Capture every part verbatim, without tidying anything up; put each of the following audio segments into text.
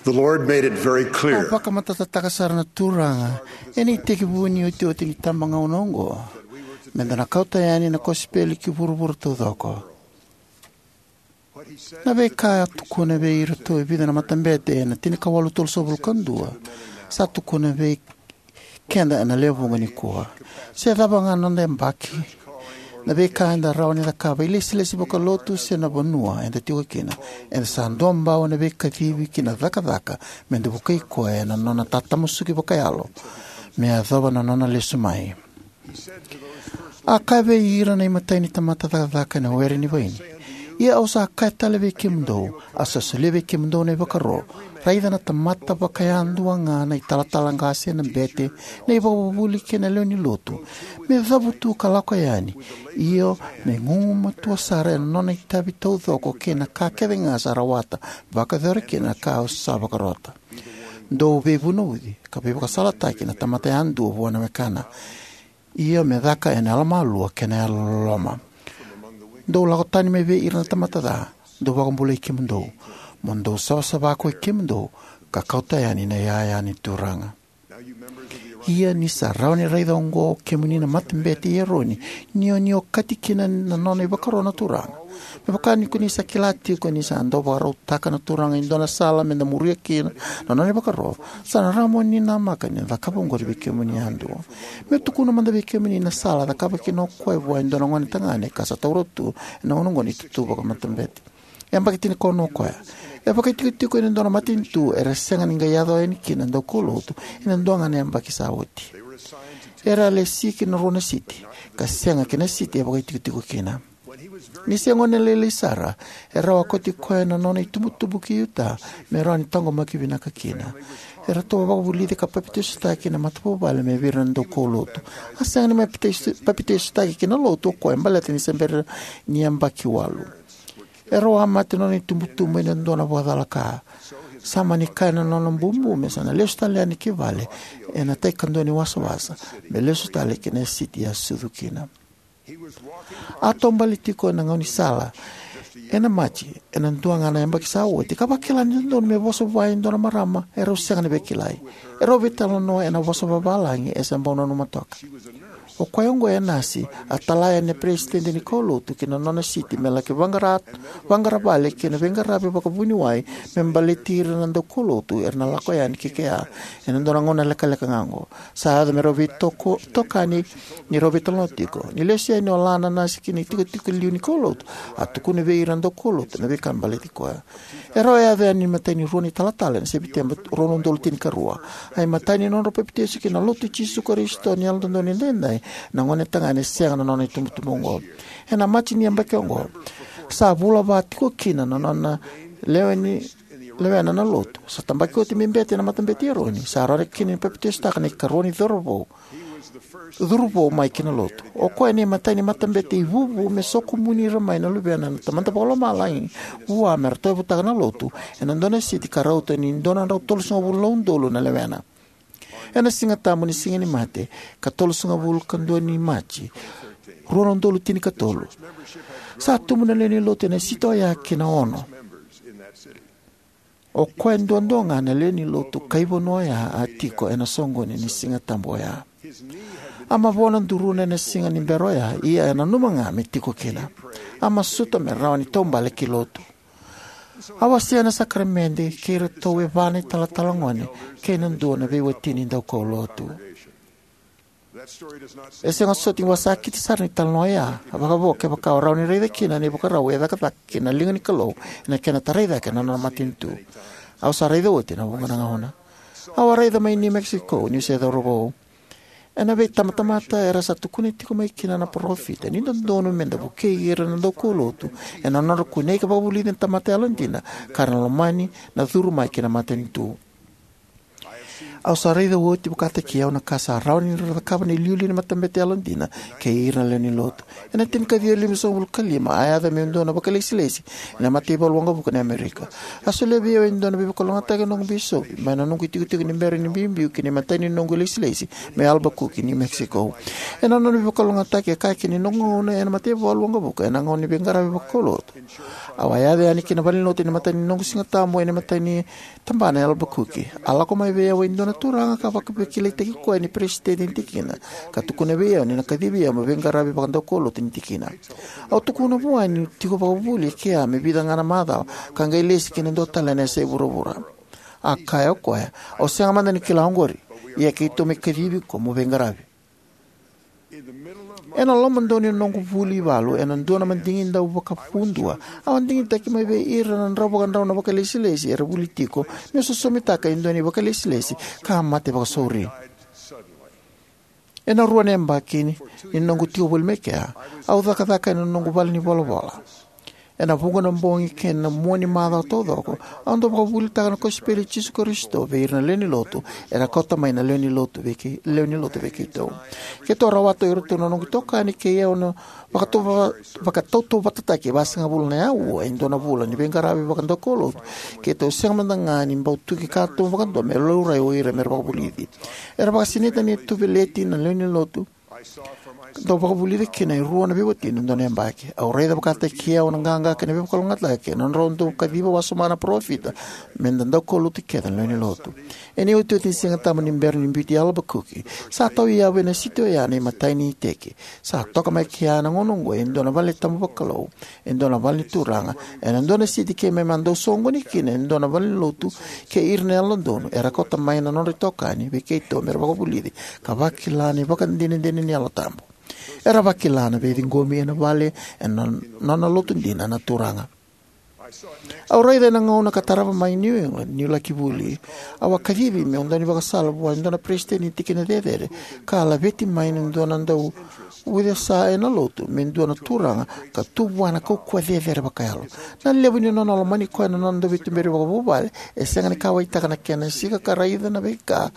The Lord made it very clear. A vakamatatataka sara na Turaga ena itekivu ni iotioti ni tabagauna oqo me da na kauta yani na kosipeli ki vuravura taucoko. Na veika a tukuna vei iratou e vica na matabete ena tinikawalu tolusagavulu ka dua sa tukuna vei keda ena lewevuqa nikua. Se cava ga na noda yabaki, na veika eda rawa ni cakava, ilesilesi vakalotu se na vanua eda tiko kina, eda sa duabau ena veikacivi ki na cakacaka me da vukei koya ena nona tatamusuki vakayalo me yacova na nona lesu mai. A kaya vei ira na imatai ni tamata cakacaka ena were ni vaini: Ia au sa kaya tale vei kemudou, au sa solia vei kemudou na ivakaro, raica na tamata vakayadua ga, na italatala qase, na bete, na ivakavuvuli kei na lewe ni lotu, me cavutu ka lako yani, io, me gugumatua sara ena nona itavi taucoko kei na ka kece ga sa rawata, vakayacora kina na ka au sa vakarota. Dou veivunauci ka veivakasalataki na tamata yadua vua na wekana, io, me caka ena yalomalua kei na yalololoma. Dou lako tani mai vei ira na tamata ca, dou vakabulai kemudou, mo dou savasava ko i kemudou, ka kauta yani na iyaya ni Turaga. Ia ni sa rawa ni raica oqo, kemuni na matabete i Eroni, ni o ni okati kina na nona ivakaro na Turaga. Me vaka ni ko ni sa kila tiko ni sa dau vakarautaka na Turaga e dua na sala me da muria kina na nona ivakaro, sa na rawa mo ni namaka ni na cakava oqori vei kemuni yadua. Meu tukuna mada vei kemuni na sala a cakava kina o koya vua e dua na gonetagane ka sa taura tu ena gauna oqo ni tutu vakamatabete. E yabaki tinikaono o koya. E vakaitikotiko ena dua na matanitu era sega ni qai yaco yani kina na daukaulotu ena dua ga na yabaki sa oti. Era a lesi ki na rua na siti, ka sega ki na siti e vakaitikotiko kina. Ni se gone lailai sara, e rau a kauti koya na nona itubutubu ki Utah me rawa ni taqomaki vinaka kina. Eratou a vakavulici ka papitaisotaki na matavuvale mai vei ira na daukaulotu. A sega ni mai papitaiso-, papitaisotaki ki na lotu o koya baleta ni se bera ni yabaki walu. E rau a mate na nona itubutubu ena dua na vakacalaka. Sa mani kaya na nona bubu me sa na lesu tale yani ki vale ena tai kadua ni wasawasa, me lesu tale ki na siti a sucu kina. A taubale tiko ena gaunisala ena Maji ena dua ga na yabaki sa oti, ka vakila ni dodonu me vosa vua e dua na marama e rau sega ni veikilai. E rau veitalanoa ena vosa vavalagi e se bau nanuma toka. O koya oqo e nasi, a tala yani na peresitedi ni kaulotu ki na nona siti me laki vaqara, vaqara vale kei na veiqaravi vakavuniwai me baleti ira na daukaulotu era na lako yani ki kea ena dua na gauna lekaleka ga oqo. Sa yaco me rau veitoko-, tokani ni rau veitalanoa tiko. Ni lesu yani o la na nasi ki na itikotiko liu ni kaulotu, a tukuna vei ira na daukaulotu na veika baleti koya. E rau a yaco yani na imatai ni rua na italatala ena Seviteba rua na udolu tinikarua. A imatai ni nodrau papitaiso ki na Lotu i Jisu Karisito ni Yalododonu Edaidai na gonetagane sega na nona itubutubu oqo. Ena Maji ni yabaki oqo, sa vula va tiko kina na nona lewe ni, lewena na lotu. Sa tabaki oti me bete ena Matabete i Eroni. Sa rawa kina ni papitaisotaka na ikarua ni cauravou, curuvou mai ki na lotu. O koya na imatai ni matabete ivuvu me sokumuni ira mai na luvena na Tamada Vakalomalagi vua me ratou yavutaka na lotu ena dua na siti ka rauta ni dua na drau tolusagavulu na udolu na lewena. Ena Siga Tabu ni Siga ni Mate, ka tolusagavulu ka dua ni Maji, rua na udolu tinikatolu, sa tubu na lewe ni lotu ena siti oya ki na ono. O koya duadua ga na lewe ni lotu kai vanua oya a tiko ena soqoni ni Siga Tabu oya. A mavoa na duruna ena siga ni bera oya, ia e nanuma ga me tiko kina. A masuta me rawa ni taubale ki lotu. A wasea na sakaramede kei iratou e va na italatala gone kei na dua na veiwatini daukaulotu. E sega soti ni wasakiti sara na italanoa oya, vakavo kevaka o rawa ni raica kina na ivakarau e cakacaka kina na liga ni Kalou ena kena tarai cake na nona matanitu. Au sa raica oti ena vuqa na gauna. Au a raica mai New Mexico niu se cauravou. Ena veitabatamata era sa tukuna tiko mai kina na parofita ni dodonu me da vukei ira na daukaulotu ena nodra kunei ka vakavulici na tamata yalodina ka ra na lomani na curu mai ki na matanitu. Au sa raica oti vakataki au na ka sa rawa ni ra cakava na iliuliu ni matabete yalodina kei ira na lewe ni lotu. Ena tinikaciwa limasagavulu ka lima, a yaco meu dua na vakailesilesi ena mataivalu waqavuka ni Amerika. A solia vei au e dua na veivakalougatataki na noqu bisopi mai na noqu itikotiko ni bera ni biubiu ki na imatai ni noqu ilesilesi mai Albuquerque, New Mexico. Ena nona veivakalougatataki, e kaya kina ni noqu gauna ena mataivalu waqavuka ena gauna ni veiqaravi vakaulotu. Au a yaco yani ki na valenilotu ena imatai ni noqu Sigatabu ena imatai ni tabana e Albuquerque. A lako mai vei au e dua na turaga ka vakaveikilaitaki koya ni peresitedi ni tikina, ka tukuna vei au ni na kacivi au meu veiqaravi vakadaukaulotu ni tikina. Au tukuna vua niu tiko vakavuli e kea me vica ga na macawa, ka qai lesi ki na dua tale na yasa e vuravura. A kaya o koya, "Au sega mada ni kila oqori, ia keitou mai kacivi iko mo veiqaravi." Ena lomadonu ni noqu vuli ivalu ena dua na madigi dau vakavudua, au a digitaki mai vei ira na drau vakadrau na vakailesilesi era vuli tiko meu sosomitaka e dua na ivakailesilesi ka a mate vakasauri. Ena rua na yabaki ni noqu tiko voli mai kea, au cakacaka ena noqu vale ni volavola. Ena vuqa na bogi kei na mua ni macawa taucoko, au dau vakavuvulitaka na kosipeli i Jisu Karisito vei ira na lewe ni lotu era kauta mai na lewe ni lotu vei kei, lewe ni lotu vei keitou. Keitou rawata o iratou na noqu itokani kei au na vakatau-, vakatautauvatataki e vasagavulu na aua e dua na vula ni veiqaravi vakadaukaulotu. Keitou sega mada ga ni bau tuki katuba vakadua me laurai o ira me ra vakavulici. Era vakasinaita ni tuveleti na lewe ni lotu, dau vakavulici kina e rua na veiwatini ena dua na yabaki. Au raica vakataki au na qaqa kei na veivakalougatataki ena nodrau dau kaciva wasoma na parofita me da daukaulotu kece na lewe ni lotu. Ena iotioti ni Sigatabu ni bera ni biuti Albuquerque, sa tauyavu ena siti oya na imatai ni iteki. Sa toka mai kea ena gauna oqo e dua na valetabu vakalou, e dua na vale ni turaga, ena dua na siti keimami a dau soqoni kina e dua na valenilotu kei ira na yalododonu era kauta mai na nodra itokani vei keitou me ra vakavulici ka vakila na ivakadinadina ni Yalo Tabu. Era vakila na veiciqomi ena vale ena nona lotu dina na Turaga. Au raica ena gauna ka tarava mai New England niu laki vuli. Au a kacivi meu dau ni vakasala vua e dua na peresitedi ni tikina cecere ka a laveti mai na dua na dau ucesa ena lotu me dua na turaga ka tu vua na kaukauwa cecere vakayalo. Na levu ni nona lomani koya na nona dau veituberi vakavuvale, e sega ni kauwaitaka na kena sika ka raica na veika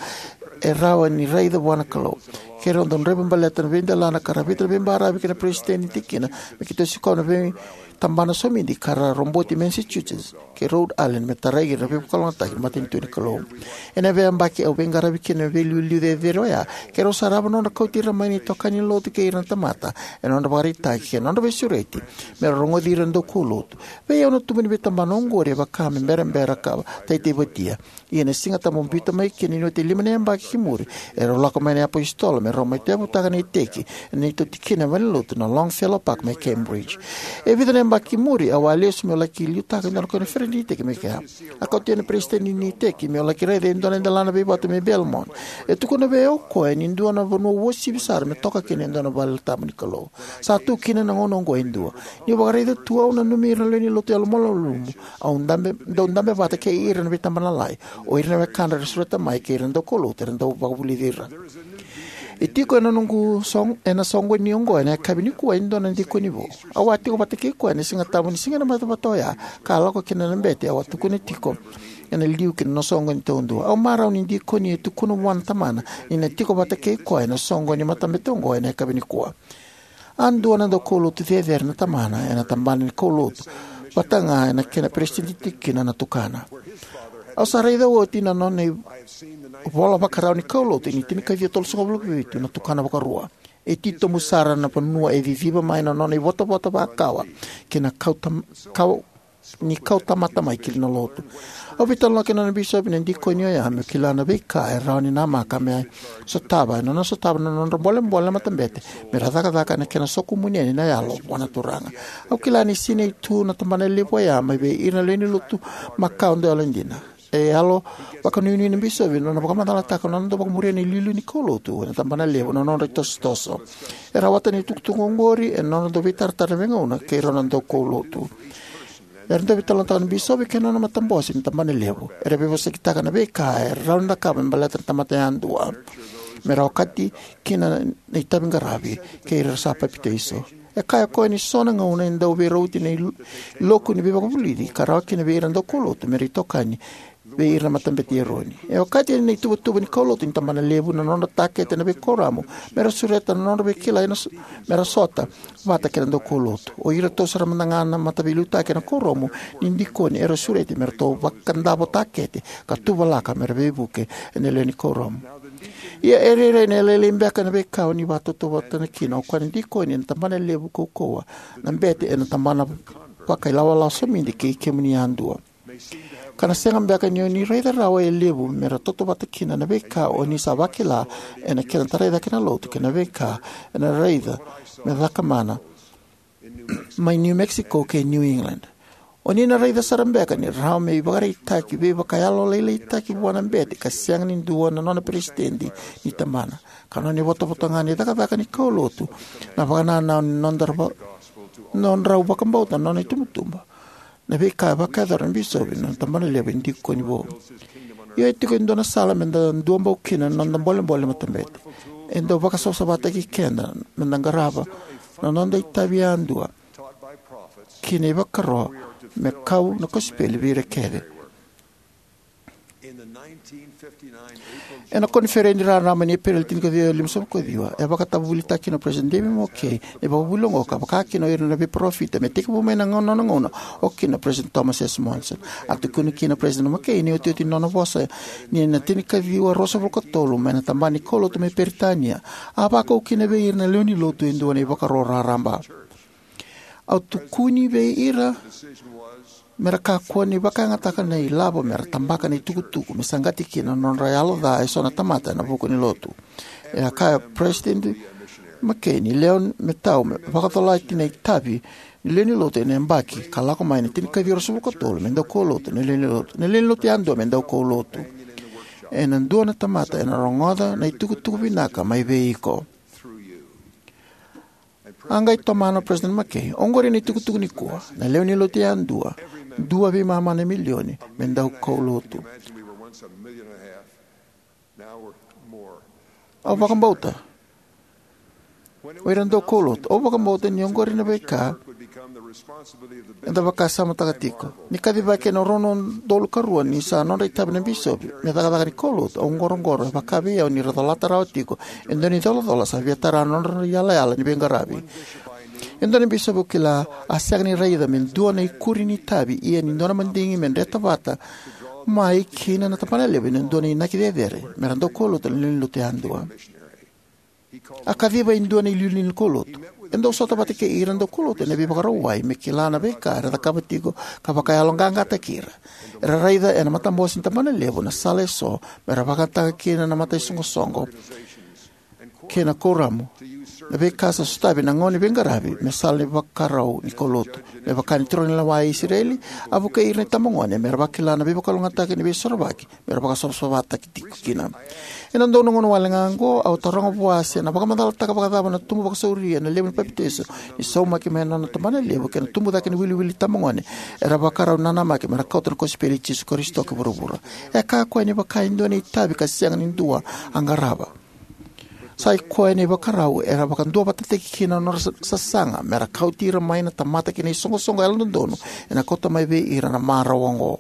e rawa ni raica vua na Kalou. Keirau dau draiva baleta na veidelana ka ravita na veibaravi kei na peresitedi ni tikina me keitou sikova na veitabana somidi ka ra roboti Massachusetts kei Rhode Island me tarai ira na veivakalougatataki ni matanitu ni Kalou. Ena veiyabaki au veiqaravi kina na veiliuliu cecere oya, keirau sarava na nodra kauti ira mai na itokani ni lotu kei ira na tamata ena nodra ivakaraitaki kei na nodra veisureti me ra rogoci ira na daukaulotu. Vei au na tubu ni veitabana oqori e vaka me berabera ka taitaivatia. Ia na Sigatabu biuta mai kina ni oti e lima na yabaki ki muri, erau lako mai na iapositolo me rau mai tauyavutaka na iteki ena neitou tikina e valenilotu na Longfellow Park mai Cambridge. E vica na yabaki ki muri au a lesu meu laki liutaka e dua na koniferedi ni iteki mai kea. A kauti au na peresitedi ni iteki meu laki raica e dua na delana veivatu mai Belmont. E tukuna vei au o koya ni dua na vanua uasivi sara me toka kina e dua na valetabu ni Kalou. Sa tu kina na gauna oqo e dua. Niu vakaraica tu, au nanumi ira na lewe ni lotu yalomalumalumu au dabe, dau dabe vata kei ira ena veitabana lalai, o ira na wekadra era sureta mai kei ira na daukaulotu era dau vakavulici ira. E tiko ena noqu sog-, ena soqoni oqo ena yakavi nikua e dua na dikoni vou. Au a tiko vata kei koya ena Sigatabu ni siga ena matavata oya, ka a lako kina na bete au a tukuna tiko ena liu ki na nona soqoni taudua. Au marau ni dikoni e tukuna vua na tamana ni na tiko vata kei koya ena soqoni ni matabete oqo ena yakavi nikua. A dua na daukaulotu cecere na tamana ena tabana ni kaulotu, vata ga ena kena peresitedi ni tikina na tukana. Au sa raica oti na nona ivola vakarau ni kaulotu ni tinikaciwa tolusagavulu ka vitu na tukana vakarua. E titobu sara na vanua e ciciva mai na nona ivotavota vakawa kei na kauta, kau, ni kau tamata mai ki na lotu. Au veitalanoa kei na nona bisopi na dikoni oya meu kila na veika e rawa ni namaka me sotava ena nona sotava na nodra bolebole na matabete me ra cakacaka ena kena sokumuni yani na yalo vua na Turaga. Au kila ni sinai tu na tabana levu oya mai vei ira na lewe ni lotu makawa dau yalodina. E yalo vakanuinui na bisopi ena nona vakamacalataka na nona dau vakamuria na iliuliu ni kaulotu ena tabana levu na nodra itosotoso. E rawata na itukutuku oqori ena nodra dau veitaratara na veigauna kei rau na daukaulotu. Era dau veitalanoataka na bisopi kei na nona matabose ni tabana levu. Era veivosakitaka na veika e rawa ni cakava me baleta na tamata yadua me ra okati kina na itaviqaravi kei ira era sa papitaiso. E kaya o koya ni so na gauna e dau veirauti na il-, iloku ni veivakavulici ka rawa kina vei ira na daukaulotu me ra itokani vei ira na matabete i Eroni. E okati ena ituvatuva ni kaulotu ni tabana levu na nodra takete na veikuoramu me ra sureta na nodra veikilai na so-, me ra sota vata kei na daukaulotu. O iratou sara mada ga na mataveiliutaki ena kuoramu ni dikoni era sureti me ratou vakadavo takete ka tuvalaka me ra veivuke ena lewe ni kuoramu. Ia e rairai ni lailai beka na veika o ni vakatautauvata kina o koya na dikoni ena tabana levu kaukauwa, na bete ena tabana vakailawalawa somidi kei kemuni yadua. Ka na sega beka ni o ni raica rawa e levu me ra tautauvata kina na veika o ni sa vakila ena kena tarai cake na lotu kei na veika ena raica me cakamana mai New Mexico kei New England. O ni na raica sara beka ni rawa me ivakaraitaki veivakayalolailaitaki vua na bete ka sega ni dua na nona peresitedi ni tabana, ka nona ivotavota ga ni cakacaka ni kaulotu na vakanananu ni nodra va-, nodrau vakabauta na nona itubutubu. Na veika e vakayacora na bisopi na tabana levu e dikoni vou. Ia e tiko e dua na sala me da duabau kina na noda bolebole matabete. E dau vakasavasavataki keda me da qarava na noda itavi yadua kina ivakaro me kau na kosipeli vei ira kece. Ena koniferedi raraba ni Epereli tinikaciwa limasagavulu kaciwa, e vakatavuvulitaka kina o President David McKay na ivakavuvuli oqo ka vaka kina o ira na veiparofita me tekivu mai na gauna, nona gauna o kina o President Thomas S. Monson. A tukuna kina o President McKay ni otioti ni nona vosa ni na tinikaciwa ruasagavulu katolu mai na tabana ni kaulotu mai Peritania, a vakau kina vei ira na lewe ni lotu e dua na ivakaro raraba. Au tukuni vei ira me ra kakua ni vakayagataka na ilavo me ra tabaka na itukutuku me saqati kina na nodra yalo ca eso na tamata ena vuku ni lotu. E a kaya o President McKay ni lewe me tau me vakacolati na itavi ni lewe ni lotu ena yabaki ka lako mai na tinikaciwa ruasagavulu katolu me daukaulotu na lewe ni lotu, na lewe ni lotu yadua me daukaulotu. Ena dua na tamata ena rogoca na itukutuku vinaka mai vei iko. A qai tomana o President McKay, oqori na itukutuku nikua, na lewe ni lotu yadua, dua veimama na milioni me daukaulotu. Au vakabauta o ira daukaulotu, au vakabauta ni oqori na veika eda vakasamataka tiko. Ni kacivaki ena rua na udolu karua ni sa nodra itavi na bisopi me cakacaka ni kaulotu, au qoroqoro e vaka vei au ni ra colata rawa tiko e dua na icolacola sa via tara na nodra iyalayala ni veiqaravi. E dua na bisopi au kila a sega ni raica me dua na ikuri ni itavi ia ni dua na madigi me dreta vata mai kina na tabana levu ena dua na inaki cecere me ra daukaulotu na lewe ni lotu yadua. A kaciva e dua na iliuliu ni kaulotu. E dau sota vata kei ira na daukaulotu ena veivakarauwai me kila na veika era cakava tiko ka vakayaloqaqataki ira. Era raica ena matabose ni tabana levu na sala eso me ra vakayagataka kina na mataisoqosoqo kei na kuoramu, na veika sa sotavi ena gauna ni veiqaravi me sala ni vakarau ni kaulotu. Me vaka ni turaganilewa e Isireli, a vukei ira na itabagone me ra vakila na veivakalougatataki ni veisorovaki me ra vakasavasavataki tiko kina. Ena dua na gauna wale ga oqo, au taroga vua se na vakamacalataka vakacava na tubu vakasauri ena levu ni papitaiso ni saumaki mai na nona tabana levu kei na tubu cake ni wiliwili ni itabagone era vakarau nanamaki me ra kauta na kosipeli i Jisu Karisito ki vuravura. E kaya o koya ni vaka e dua na itavi ka sega ni dua a qarava. Sa i koya na ivakarau era vakaduavatataki kina na nodra sa-, sasaga me ra kauti ira mai na tamata ki na isoqosoqo yalododonu ena kauta mai vei ira na marau oqo.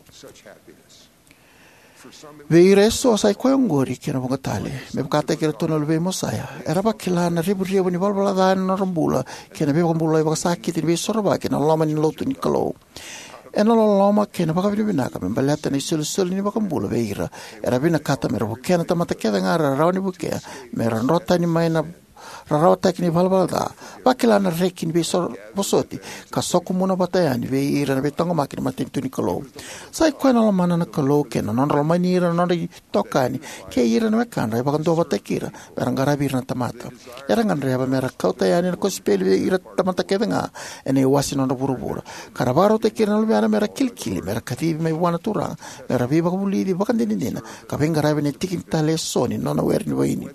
Vei ira eso sa i koya oqori kei na vuqa tale. Me vakataki iratou na luvei Mosaia, era vakila na revurevu ni valavala ca ena nodra bula kei na veivakabulai vakasakiti ni veisorovaki ena loma ni lotu ni Kalou. Ena loloma kei na vakavinavinaka me baleta na isolisoli ni vakabula vei ira, era vinakata me ra vukea na tamata kece ga era rawa ni vukea me ra dro tani mai na rarawataki ni valavala ca, vakila na reki ni veivosoti, ka sokumuna vata yani vei ira na veitaqomaki ni matanitu ni Kalou. Sa i koya na lomana na Kalou kei na nodra lomani ira na nodra itokani kei ira na wekadra e vakaduavatataki ira me ra qaravi ira na tamata. Era gadreva me ra kauta yani na kosipeli vei ira na tamata kece ga ena iwase ni nodra vuravura, ka ra vakarautaki ira na luvena me ra kilikili me ra kacivi mai vua na Turaga me ra veivakavulici vakadinadina ka veiqaravi ena tiki tale eso ni nona were ni vaini.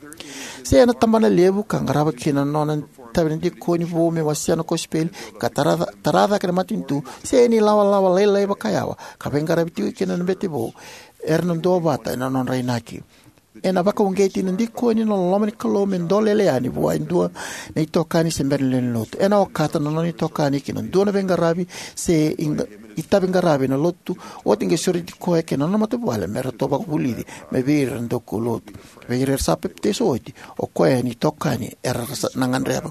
Se ena tabana levu ka qarava kina na nona itavi na dikoni vou me wasea na kosipeli ka tara, tara cake na matanitu, se ena ilawalawa lailai vakayawa ka veiqaravi tiko kina na bete vou, era na duavata ena nodra inaki. Ena vakauqeti na dikoni na loloma ni Kalou me dolele yani vua e dua na itokani se bera ni lewe ni lotu. Ena okata na nona itokani ki na dua na veiqaravi se iqa-, itaviqaravi ena Lotu oti qai sureti koya kei na nona matavuvale me ratou vakavulici mai vei ira na daukaulotu. Vei ira era sa papitaiso oti, o koya na itokani era sa na gadreva.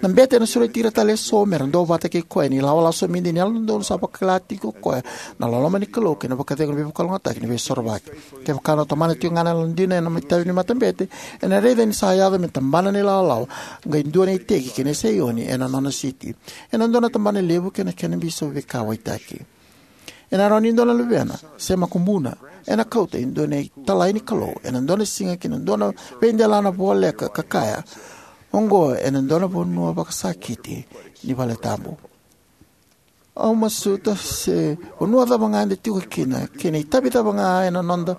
Na bete ena sureti ira tale eso me ra duavata kei koya ena ilawalawa somidi ni Yalododonu sa vakila tiko o koya na loloma ni Kalou kei na vakacegu ni veivakalougatataki ni Veisorovaki. Kevaka ena tomana tiko ga na yalodina ena itavi ni matabete, ena raica ni sa yaco me tabana na ilawalawa, qai dua na iteki kei na Saioni ena nona siti. Ena dua na tabana levu kei na kena bisopi veikauwaitaki. Ena rawa ni dua na luvena se makubuna ena kauta e dua na italai ni Kalou ena dua na siga ki na dua na veidelana voleka ka kaya, "Oqo ena dua na vanua vakasakiti ni valetabu." Au masuta se vanua cava ga eda tiko kina, kei na itavi cava ga ena noda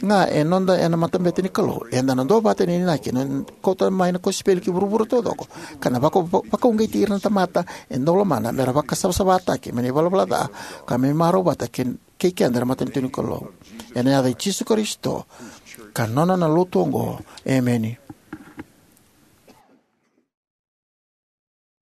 ga e noda ena matabete ni Kalou, eda na duavata ena inaki ena kauta mai na kosipeli ki vuravura taucoko, ka na vaka-, vakauqeti ira na tamata e dau lomana me ra vakasavasavataki mai na ivalavala ca, ka me marau vata kei, kei keda na matanitu ni Kalou. Ena yaca i Jisu Karisito ka nona na Lotu oqo, emeni.